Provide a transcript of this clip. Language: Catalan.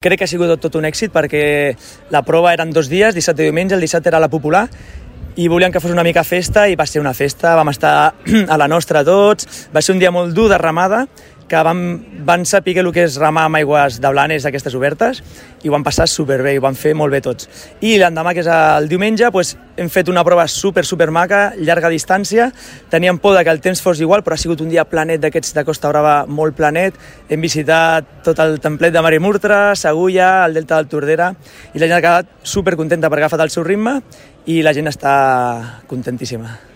Crec que ha sigut tot un èxit perquè la prova eren 2 dies, dissabte i diumenge. El dissabte era la popular i volíem que fos una mica festa i va ser una festa, vam estar a la nostra tots, va ser un dia molt dur de remada, que van saber el que és remar amb aigües de Blanes, aquestes obertes, i ho van passar superbé, i ho van fer molt bé tots. I l'endemà, que és el diumenge, hem fet una prova super maca, llarga distància. Teníem por que el temps fos igual, però ha sigut un dia planet d'aquests de Costa Brava, molt planet. Hem visitat tot el templet de Marimurtra, Segulla, el delta del Tordera, i la gent ha quedat supercontenta perquè ha agafat el seu ritme i la gent està contentíssima.